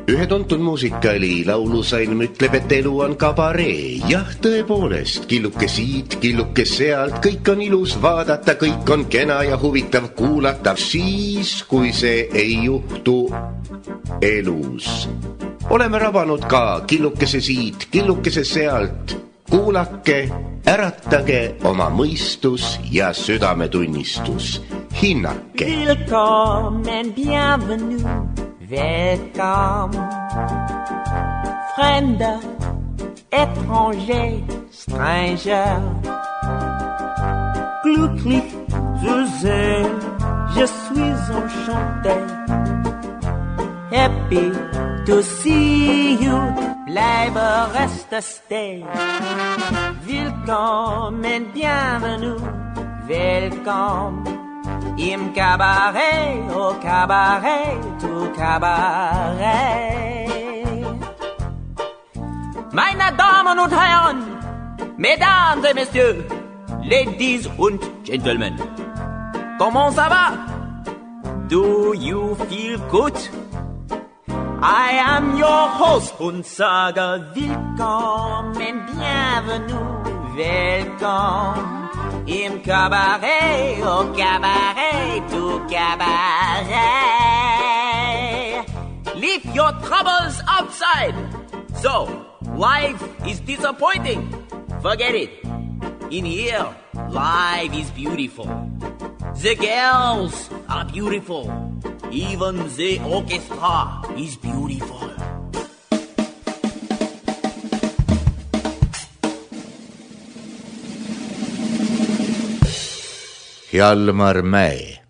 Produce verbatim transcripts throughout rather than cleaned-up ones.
Ühe tuntud muusikaali laulusalm ütleb, et elu on kabaree. Jah, tõepoolest, killuke siit, killuke sealt, kõik on ilus vaadata, kõik on kena ja huvitav kuulata, siis kui see ei juhtu elus. Oleme rabanud ka killukese siit, killukese sealt, kuulake, äratage oma mõistus ja südametunnistus. Hinnake. Willkommen, bienvenue, welcome. Fremder, étranger, stranger. Glücklich zu sehen, je suis enchanté. Happy to see you, bleibe reste stay. Willkommen, bienvenue, welcome. Im Cabaret, au Cabaret, au Cabaret. Meine Damen und Herren, Mesdames et Messieurs, Ladies und Gentlemen, comment ça va? Do you feel good? I am your host und sage willkommen, bienvenue, welcome. Im Cabaret, au Cabaret, au Cabaret. Leave your troubles outside. So, life is disappointing. Forget it. In here, life is beautiful. The girls are beautiful. Even the orchestra is beautiful. Hjalmar Mäe.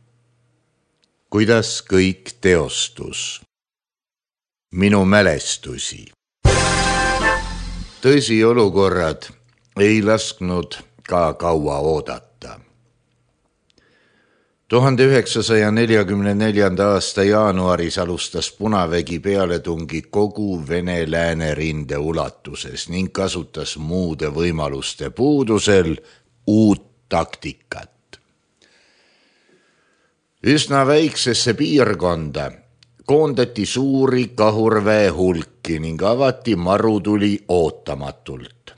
Kuidas kõik teostus? Minu mälestusi. Tõsi olukorrad ei lasknud ka kaua oodata. tuhande üheksasaja neljakümne neljanda aasta jaanuaris alustas Punavägi pealetungi kogu Vene-Lääne rinde ulatuses ning kasutas muude võimaluste puudusel uut taktikat. Üsna väiksesse piirkonda koondati suuri kahurväe hulki ning avati marutuli ootamatult.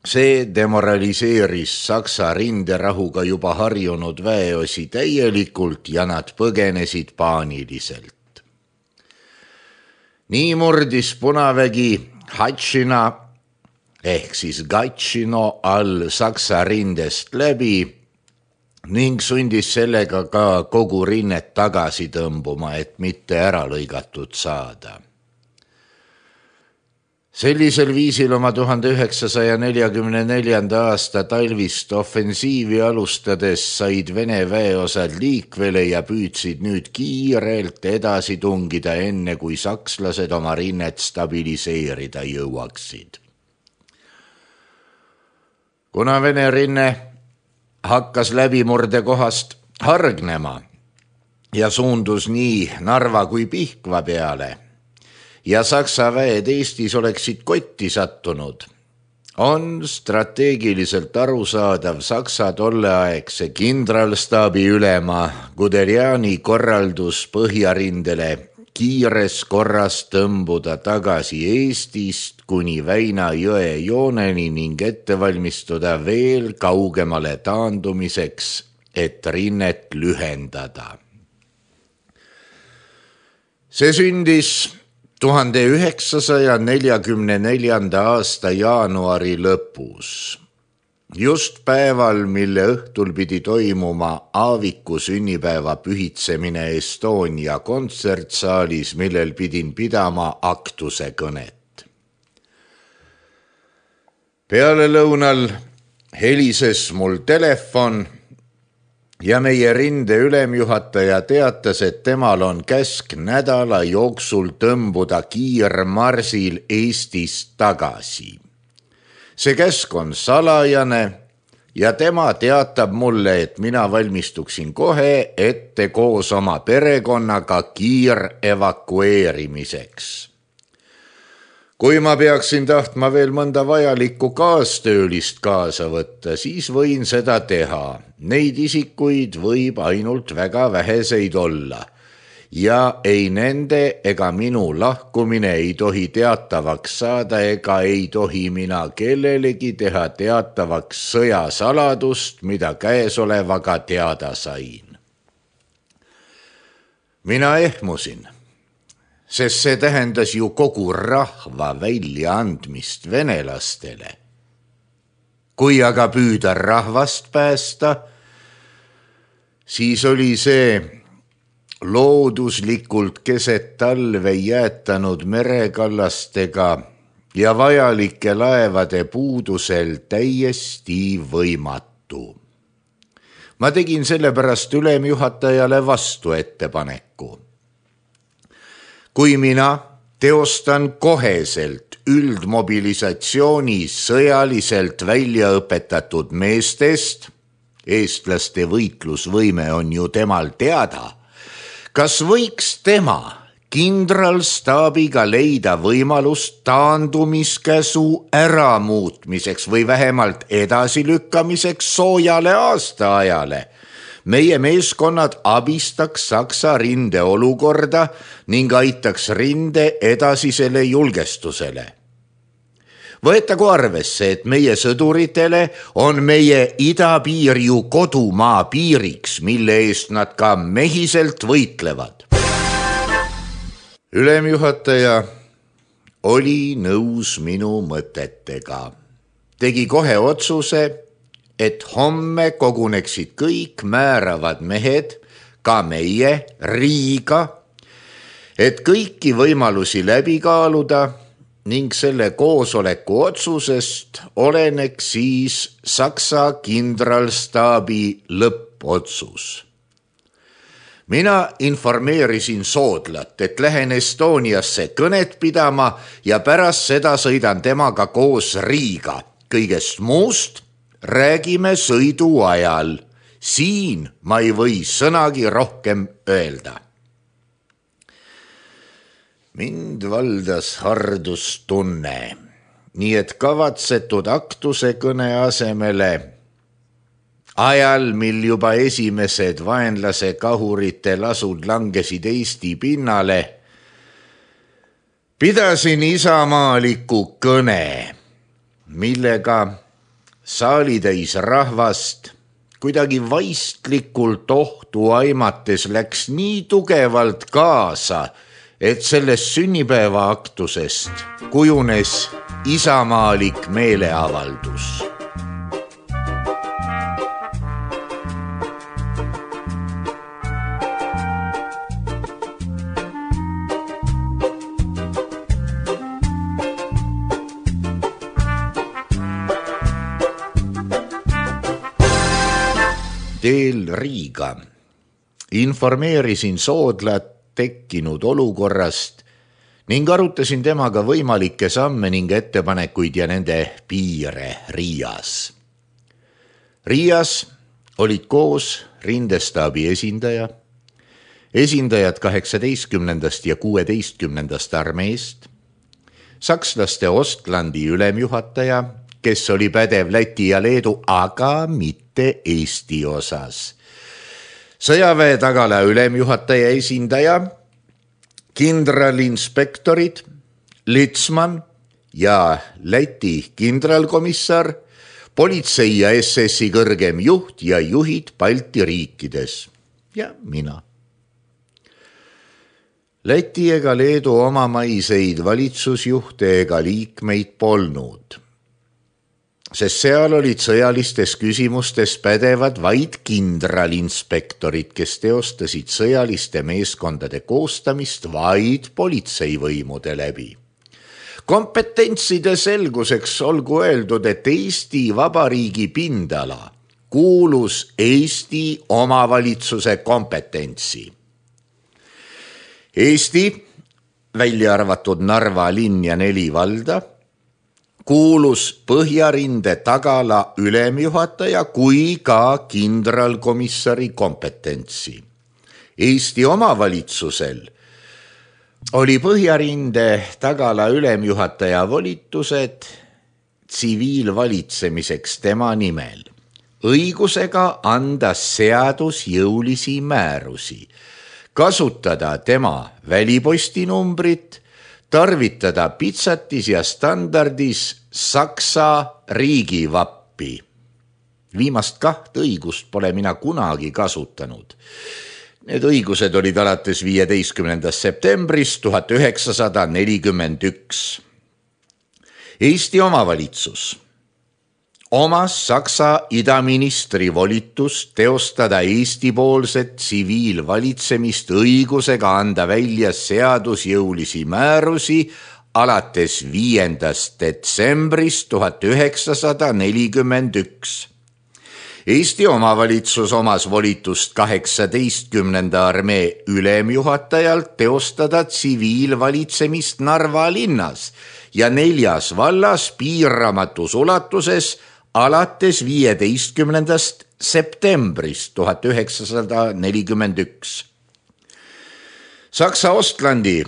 See demoraliseeris Saksa rinderahuga juba harjunud väeosi täielikult ja nad põgenesid paaniliselt. Nii murdis Punavägi Hatšina ehk siis Gatšino all Saksa rindest läbi ning sundis sellega ka kogu rinnet tagasi tõmbuma, et mitte ära lõigatud saada. Sellisel viisil oma tuhande üheksasaja neljakümne neljanda aasta talvist offensiivi alustades said Vene väeosad liikvele ja püüdsid nüüd kiirelt edasi tungida enne, kui sakslased oma rinnet stabiliseerida jõuaksid. Kuna Vene rinne hakkas läbimurde kohast hargnema ja suundus nii Narva kui Pihkva peale ja Saksa väed Eestis oleksid kotti sattunud, on strateegiliselt arusaadav Saksa tolleaegse kindralstaabi ülema Guderiani korraldus Põhjarindele kiires korras tõmbuda tagasi Eestist kuni Väina jõe jooneni ning ette valmistuda veel kaugemale taandumiseks, et rinnet lühendada. See sündis tuhande üheksasaja neljakümne neljanda aasta jaanuari lõpus. Just päeval, mille õhtul pidi toimuma Aaviku sünnipäeva pühitsemine Estonia kontsertsaalis, millel pidin pidama aktuse kõnet. Peale lõunal helises mul telefon ja meie rinde ülemjuhataja teatas, et temal on käsk nädala jooksul tõmbuda kiirmarsil Eestist tagasi. See käsk on salajane ja tema teatab mulle, et mina valmistuksin kohe ette koos oma perekonnaga kiir evakueerimiseks. Kui ma peaksin tahtma veel mõnda vajalikku kaastöölist kaasa võtta, siis võin seda teha. Neid isikuid võib ainult väga väheseid olla. ja ei nende ega minu lahkumine ei tohi teatavaks saada ega ei tohi mina kellelegi teha teatavaks sõjasaladust, mida käesolevaga teada sain. Mina ehmusin, sest see tähendas ju kogu rahva väljaandmist venelastele. Kui aga püüda rahvast päästa, siis oli see looduslikult keset talve jäätanud merekallastega ja vajalike laevade puudusel täiesti võimatu. Ma tegin sellepärast ülemjuhatajale vastu ettepaneku. Kui mina teostan koheselt üldmobilisatsiooni sõjaliselt välja õpetatud meestest, eestlaste võitlusvõime on ju temal teada, kas võiks tema kindralstaabiga leida võimalust taandumiskäsu äramuutmiseks või vähemalt edasilükkamiseks soojale aastaajale? Meie meeskonnad abistaks Saksa rinde olukorda ning aitaks rinde edasisele julgestusele. Võetagu arvesse, et meie sõduritele on meie idapiir ju kodumaa piiriks, mille eest nad ka mehiselt võitlevad. Ülemjuhataja oli nõus minu mõtetega. Tegi kohe otsuse, et homme koguneksid kõik määravad mehed, ka meie, Riiga, et kõiki võimalusi läbi kaaluda ning selle koosoleku otsusest oleneks siis Saksa kindralstaabi lõppotsus. Mina informeerisin Soodlat, et lähen Estoniasse kõnet pidama ja pärast seda sõidan temaga koos Riiga. Kõigest muust räägime sõidu ajal. Siin ma ei või sõnagi rohkem öelda. Mind valdas hardustunne, nii et kavatsetud aktuse kõne asemele ajal, mil juba esimesed vaenlase kahurite lasud langesid Eesti pinnale, pidasin isamaaliku kõne, millega saalitäis rahvast kuidagi vaistlikult ohtu aimates läks nii tugevalt kaasa, et sellest sünnipäeva aktusest kujunes isamaalik meeleavaldus. Teel Riiga informeerisin Soodlat tekkinud olukorrast ning arutasin temaga võimalikke samme ning ettepanekuid ja nende piire Riias. Riias olid koos rindestaabi esindaja, esindajad kaheksateistkümnendast ja kuueteistkümnendast armeest, sakslaste Ostlandi ülemjuhataja, kes oli pädev Läti ja Leedu, aga mitte Eesti osas. Sõjaväe tagala ülemjuhataja esindaja, kindralinspektorid, Litsman ja Läti kindralkomissar, politsei ja S S-i kõrgem juht ja juhid Balti riikides ja mina. Läti ega Leedu omamaiseid valitsusjuhte ega liikmeid polnud, sest seal olid sõjalistes küsimustes pädevad vaid kindralinspektorid, kes teostasid sõjaliste meeskondade koostamist vaid politseivõimude läbi. Kompetentside selguseks olgu öeldud, et Eesti Vabariigi pindala kuulus Eesti omavalitsuse kompetentsi. Eesti, välja arvatud Narva linn ja neli valda, kuulus Põhjarinde tagala ülemjuhataja kui ka kindralkomissari kompetentsi. Eesti omavalitsusel oli Põhjarinde tagala ülemjuhataja volitused tsiviilvalitsemiseks tema nimel, õigusega anda seadusjõulisi määrusi, kasutada tema välipostinumbrit, tarvitada pitsatis ja standardis Saksa riigivappi. Viimast kaht õigust pole mina kunagi kasutanud. Need õigused olid alates viieteistkümnendast septembrist tuhat üheksasada nelikümmend üks. Eesti omavalitsus omas Saksa idaministri volitust teostada Eesti-poolset tsiviilvalitsemist õigusega anda välja seadusjõulisi määrusi alates viiendast detsembrist tuhat üheksasada nelikümmend üks. Eesti omavalitsus omas volitust kaheksateistkümnenda armee ülemjuhatajalt teostada tsiviilvalitsemist Narva linnas ja neljas vallas piiramatus ulatuses alates viieteistkümnendast septembrist tuhat üheksasada nelikümmend üks. Saksa Ostlandi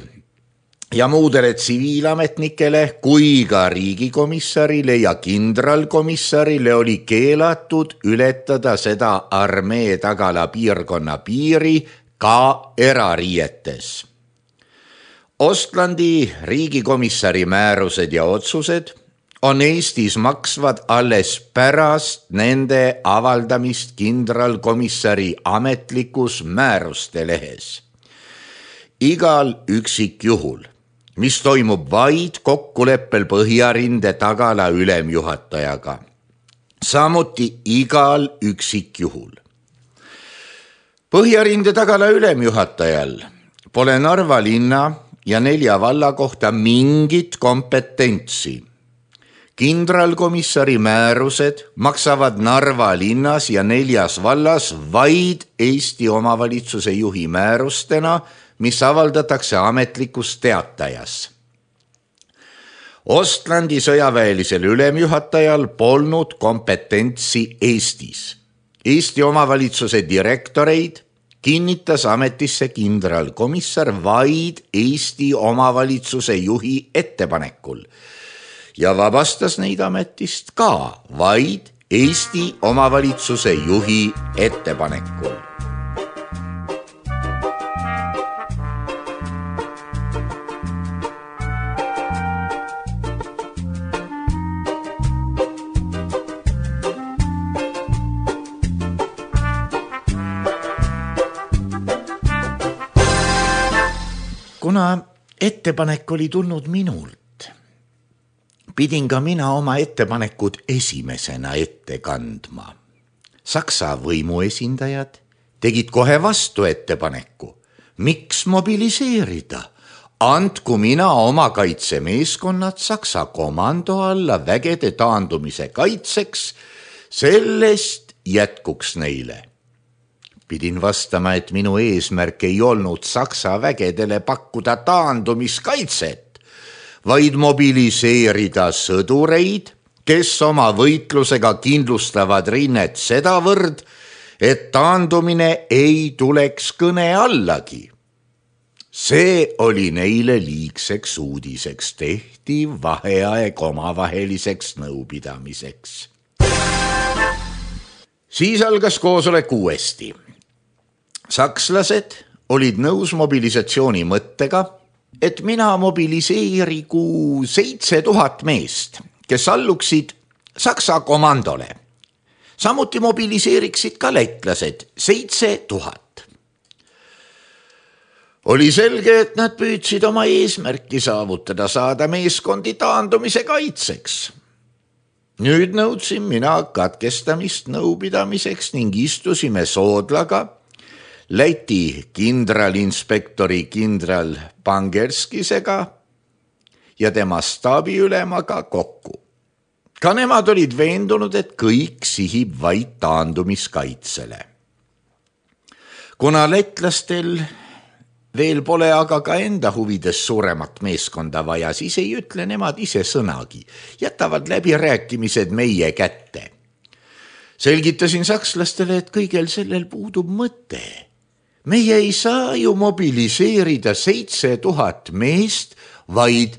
ja muudele tsiviilametnikele kui ka riigikomissarile ja kindralkomissarile oli keelatud ületada seda armee tagala piirkonna piiri ka erariietes. Ostlandi riigikomissari määrused ja otsused on Eestis maksvad alles pärast nende avaldamist kindralkomissari ametlikus määruste lehes. Igal üksikjuhul, mis toimub vaid kokkuleppel Põhjarinde tagala ülemjuhatajaga, samuti igal üksikjuhul. Põhjarinde tagala ülemjuhatajal pole Narva linna ja nelja valla kohta mingit kompetentsi. Kindralkomissari määrused maksavad Narva linnas ja neljas vallas vaid Eesti omavalitsuse juhi määrustena, mis avaldatakse ametlikus teatajas. Ostlandi sõjaväelisel ülemjuhatajal polnud kompetentsi Eestis. Eesti omavalitsuse direktoreid kinnitas ametisse kindralkomissar vaid Eesti omavalitsuse juhi ettepanekul ja vabastas neid ametist ka vaid Eesti omavalitsuse juhi ettepanekul. Kuna ettepanek oli tulnud minult, pidin ka mina oma ettepanekud esimesena ette kandma. Saksa võimuesindajad tegid kohe vastu ettepaneku, miks mobiliseerida, andku mina oma kaitsemeeskonnad Saksa komando alla vägede taandumise kaitseks, sellest jätkuks neile. Pidin vastama, et minu eesmärk ei olnud Saksa vägedele pakkuda taandumiskaitset, vaid mobiliseerida sõdureid, kes oma võitlusega kindlustavad rinnet sedavõrd, et taandumine ei tuleks kõne allagi. See oli neile liigseks uudiseks, tehti vaheaeg omavaheliseks nõupidamiseks. Siis algas koosolek uuesti. Sakslased olid nõus mobilisatsiooni mõttega, et mina mobiliseerigu seitse tuhat meest, kes alluksid Saksa komandole. Samuti mobiliseeriksid ka lätlased seitse tuhat. Oli selge, et nad püüdsid oma eesmärki saavutada, saada meeskondi taandumise kaitseks. Nüüd nõudsin mina katkestamist nõupidamiseks ning istusime Soodlaga Läti kindralinspektori kindral Pangerskisega ja tema staabiülemaga kokku. Ka nemad olid veendunud, et kõik sihib vaid taandumiskaitsele. Kuna lätlastel veel pole aga ka enda huvides suuremat meeskonda vaja, siis ei ütle nemad ise sõnagi, jätavad läbirääkimised meie kätte. Selgitasin sakslastele, et kõigel sellel puudub mõte. Meie ei saa ju mobiliseerida seitse tuhat meest, vaid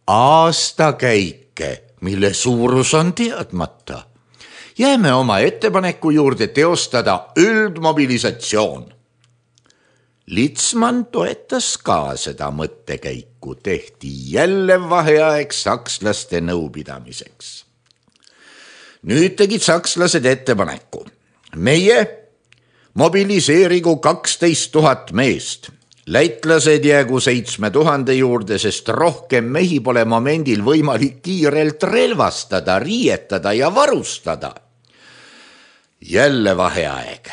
aastakäike, mille suurus on teadmata. Jääme oma ettepaneku juurde teostada üldmobilisatsioon. Litzmann toetas ka seda mõttekäiku, tehti jälle vaheaeg sakslaste nõupidamiseks. Nüüd tegid sakslased ettepaneku. Meie mobiliseerigu kaksteist tuhat meest. Lätlased jäägu seitsme tuhande juurde, sest rohkem mehi pole momendil võimalik kiirelt relvastada, riietada ja varustada. Jälle vaheaeg.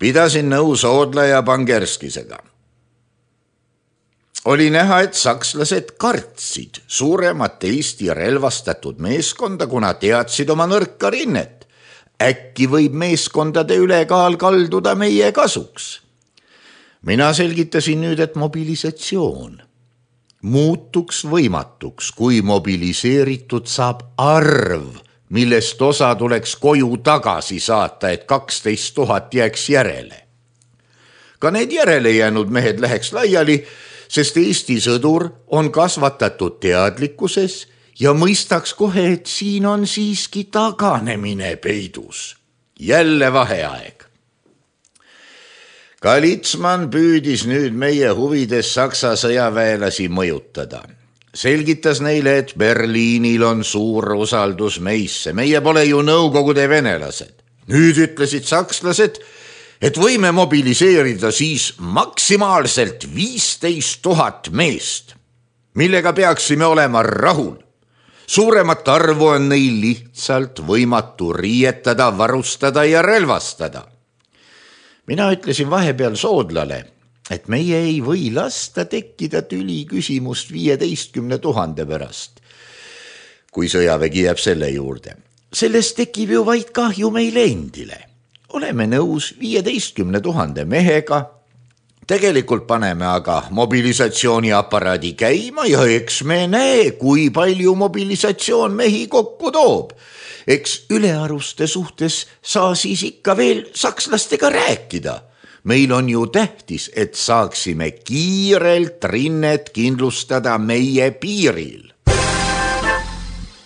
Pidasin nõu Soodla ja Pangerskisega. Oli näha, et sakslased kartsid suuremat Eesti relvastatud meeskonda, kuna teadsid oma nõrka rinnet. Äkki võib meeskondade ülekaal kalduda meie kasuks. Mina selgitasin nüüd, et mobilisatsioon muutuks võimatuks, kui mobiliseeritud saab arv, millest osa tuleks koju tagasi saata, et kaksteist tuhat jääks järele. Ka need järele jäänud mehed läheks laiali, sest Eesti sõdur on kasvatatud teadlikkuses ja mõistaks kohe, et siin on siiski taganemine peidus. Jälle vaheaeg. Ka Litzmann püüdis nüüd meie huvides Saksa sõjaväelasi mõjutada. Selgitas neile, et Berliinil on suur usaldus meisse. Meie pole ju Nõukogude venelased. Nüüd ütlesid sakslased, et võime mobiliseerida siis maksimaalselt viisteist tuhat meest, millega peaksime olema rahul. Suuremat arvu on neil lihtsalt võimatu riietada, varustada ja relvastada. Mina ütlesin vahepeal Soodlale, et meie ei või lasta tekkida tüli küsimust viieteistkümne tuhande pärast, kui sõjavägi jääb selle juurde. Sellest tekib ju vaid kahju meile endile. Oleme nõus viieteistkümne tuhande mehega, tegelikult paneme aga mobilisatsiooniaparaadi käima ja eks me näe, kui palju mobilisatsioon mehi kokku toob. Eks ülearuste suhtes saa siis ikka veel sakslastega rääkida. Meil on ju tähtis, et saaksime kiirelt rinnet kindlustada meie piiril.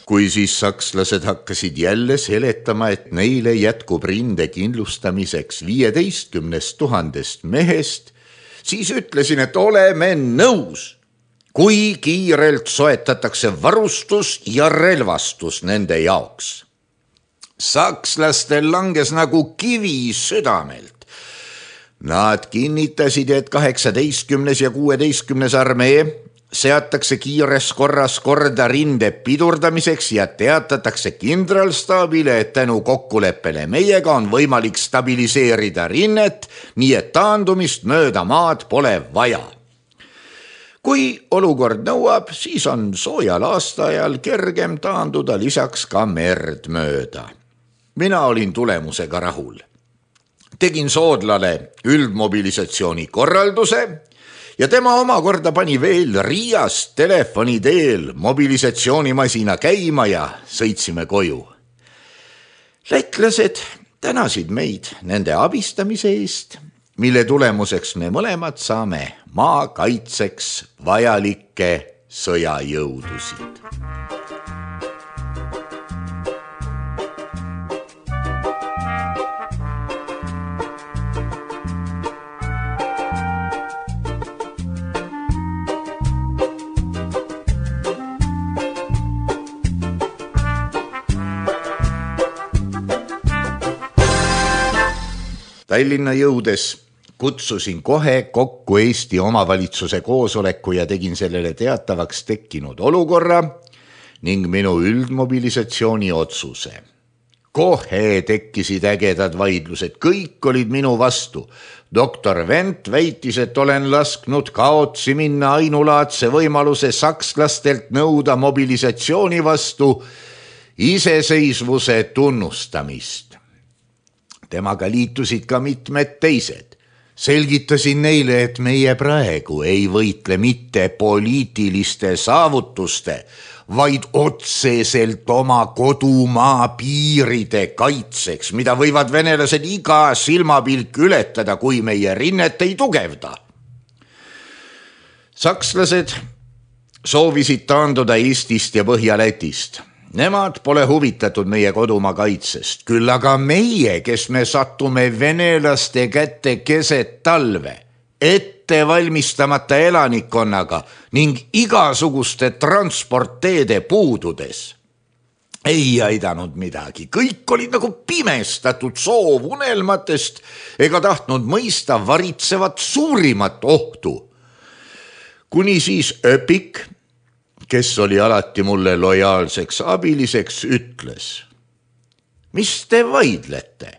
Kui siis sakslased hakkasid jälle seletama, et neile jätkub rinde kindlustamiseks viieteistkümnest tuhandest mehest, siis ütlesin, et oleme nõus, kui kiirelt soetatakse varustus ja relvastus nende jaoks. Sakslastel langes nagu kivi südamelt. Nad kinnitasid, et kaheksateistkümnes ja kuueteistkümnes armee seatakse kiires korras korda rinde pidurdamiseks ja teatatakse kindralstaabile, et tänu kokkuleppele meiega on võimalik stabiliseerida rinnet, nii et taandumist mööda maad pole vaja. Kui olukord nõuab, siis on soojal aastaajal kergem taanduda lisaks ka merd mööda. Mina olin tulemusega rahul. Tegin Soodlale üldmobilisatsiooni korralduse ja tema omakorda pani veel Riias telefoni teel mobilisatsioonimasina käima ja sõitsime koju. Lätlased tänasid meid nende abistamise eest, mille tulemuseks me mõlemad saame maa kaitseks vajalikke sõjajõudusid. Tallinna jõudes kutsusin kohe kokku Eesti omavalitsuse koosoleku ja tegin sellele teatavaks tekkinud olukorra ning minu üldmobilisatsiooni otsuse. Kohe tekkisid ägedad vaidlused, kõik olid minu vastu. Doktor Wendt väitis, et olen lasknud kaotsi minna ainulaadse võimaluse sakslastelt nõuda mobilisatsiooni vastu iseseisvuse tunnustamist. Temaga liitusid ka mitmed teised. Selgitasin neile, et meie praegu ei võitle mitte poliitiliste saavutuste, vaid otseselt oma kodumaa piiride kaitseks, mida võivad venelased iga silmapilk ületada, kui meie rinnet ei tugevda. Sakslased soovisid taanduda Eestist ja Põhja-Lätist Nemad pole huvitatud meie kodumaa kaitsest, küll aga meie, kes me sattume venelaste kätte keset talve, ette valmistamata elanikkonnaga ning igasuguste transportteede puududes. Ei aidanud midagi, kõik olid nagu pimestatud soov unelmatest ega tahtnud mõista varitsevat suurimat ohtu. Kuni siis Öpik, kes oli alati mulle lojaalseks abiliseks, ütles: mis te vaidlete?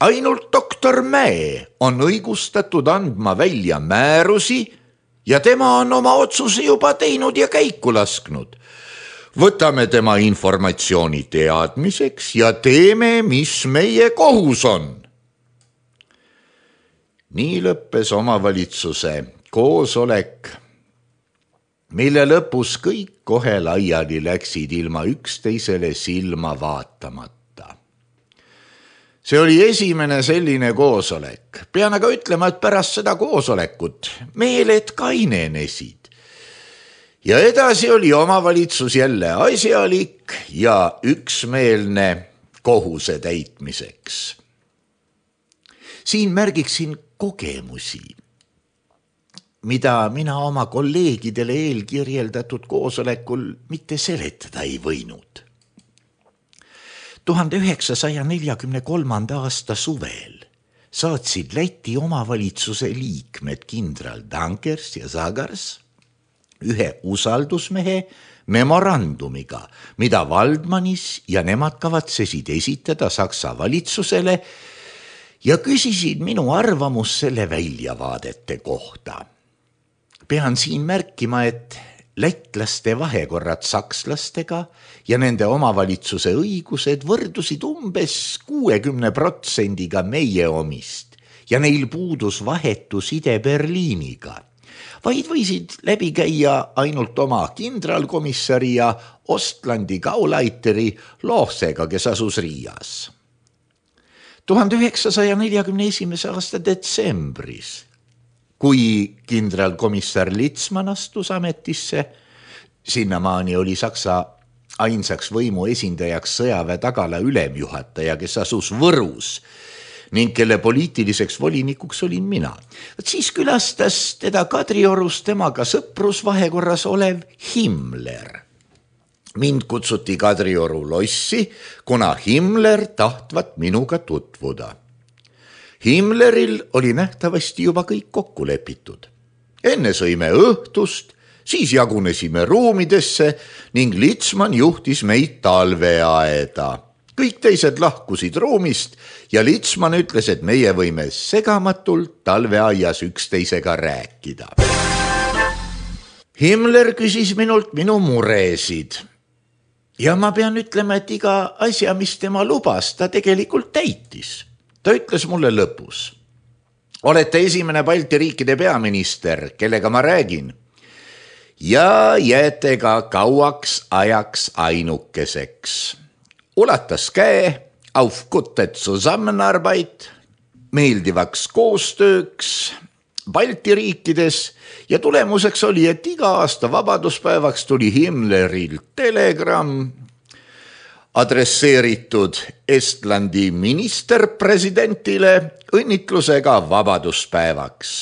Ainult doktor Mäe on õigustatud andma välja määrusi ja tema on oma otsuse juba teinud ja käiku lasknud. Võtame tema informatsiooni teadmiseks ja teeme, mis meie kohus on. Nii lõppes omavalitsuse koosolek, mille lõpus kõik kohe laiali läksid ilma üksteisele silma vaatamata. See oli esimene selline koosolek. Pean aga ütlema, et pärast seda koosolekut meeled kainenesid. Ja edasi oli omavalitsus jälle asjalik ja üksmeelne kohuse täitmiseks. Siin märgiksin kogemusi, mida mina oma kolleegidele eelkirjeldatud koosolekul mitte seletada ei võinud. tuhande üheksasaja neljakümne kolmanda aasta suvel saatsid Läti omavalitsuse liikmed kindral Dankers ja Zagars ühe usaldusmehe memorandumiga, mida Valdmanis ja nemad kavatsesid esitada Saksa valitsusele ja küsisid minu arvamus selle väljavaadete kohta. Pean siin märkima, et lätlaste vahekorrad sakslastega ja nende omavalitsuse õigused võrdusid umbes kuuekümne protsendiga meie omist ja neil puudus vahetu side Berliiniga, vaid võisid läbi käia ainult oma kindralkomissari ja Ostlandi Gauleiteri Lohsega, kes asus Riias. tuhande üheksasaja neljakümne esimese aasta detsembris, kui kindralkomissar Litzmann astus ametisse, sinnamaani oli Saksa ainsaks võimu esindajaks sõjaväe tagala ülemjuhataja, kes asus Võrus ning kelle poliitiliseks volinikuks olin mina. Siis külastas teda Kadriorus temaga sõprusvahekorras olev Himmler. Mind kutsuti Kadrioru lossi, kuna Himmler tahtvat minuga tutvuda. Himmleril oli nähtavasti juba kõik kokku lepitud. Enne sõime õhtust, siis jagunesime ruumidesse ning Litzmann juhtis meid talveaeda. Kõik teised lahkusid ruumist ja Litzmann ütles, et meie võime segamatult talveaias üksteisega rääkida. Himmler küsis minult minu muresid ja ma pean ütlema, et iga asja, mis tema lubas, ta tegelikult täitis. Ta ütles mulle lõpus: olete esimene Balti riikide peaminister, kellega ma räägin, ja jääte ka kauaks ajaks ainukeseks. Ulatas käe, auf gute Zusammenarbeit, meeldivaks koostööks Balti riikides ja tulemuseks oli, et iga aasta vabaduspäevaks tuli Himmleril telegramm adresseeritud Estlandi ministerpresidentile õnnitlusega vabaduspäevaks.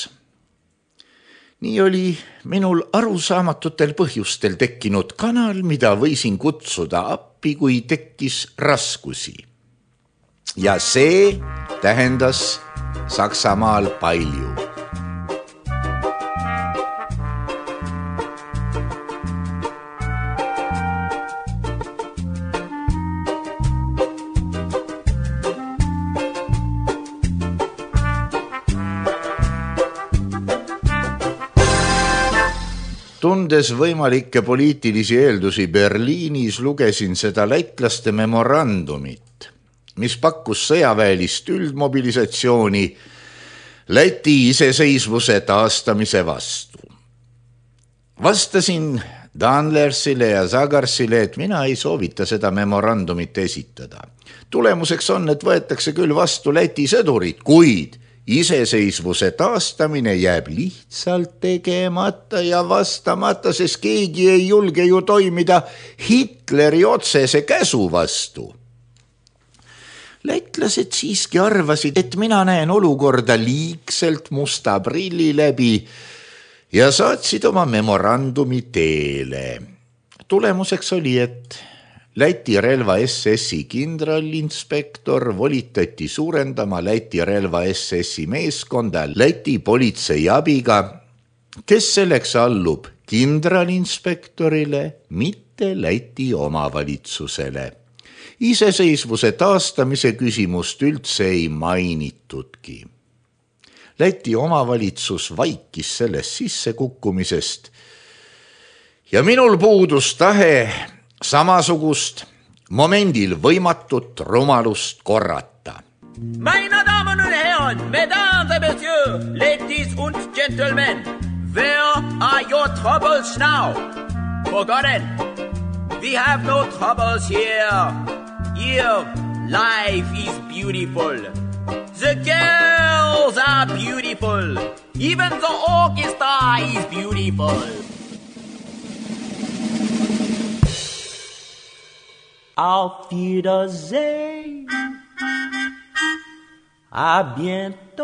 Nii oli minul arusaamatutel põhjustel tekkinud kanal, mida võisin kutsuda appi, kui tekkis raskusi. Ja see tähendas Saksamaal palju. Tundes võimalikke poliitilisi eeldusi Berliinis, lugesin seda lätlaste memorandumit, mis pakkus sõjaväelist üldmobilisatsiooni Läti iseseisvuse taastamise vastu. Vastasin Danlersile ja Zagarsile, et mina ei soovita seda memorandumit esitada. Tulemuseks on, et võetakse küll vastu Läti sõdurid, kuid iseseisvuse taastamine jääb lihtsalt tegemata ja vastamata, sest keegi ei julge ju toimida Hitleri otsese käsu vastu. Lätlased siiski arvasid, et mina näen olukorda liigselt musta prilli läbi ja saatsid oma memorandumi teele. Tulemuseks oli, et Läti relva S S-i kindralinspektor volitati suurendama Läti relva S S-i meeskonda Läti politsei abiga, kes selleks allub kindralinspektorile, mitte Läti omavalitsusele. Iseseisvuse taastamise küsimust üldse ei mainitudki. Läti omavalitsus vaikis sellest sissekukkumisest ja minul puudus tahe samasugust momendil võimatut rumalust korrata. Meine Damen und Herren, Mesdames et Messieurs, Ladies und Gentlemen, where are your troubles now? Forgotten, we have no troubles here. Here, life is beautiful. The girls are beautiful. Even the orchestra is beautiful. Auf Wiedersehen, à bientôt.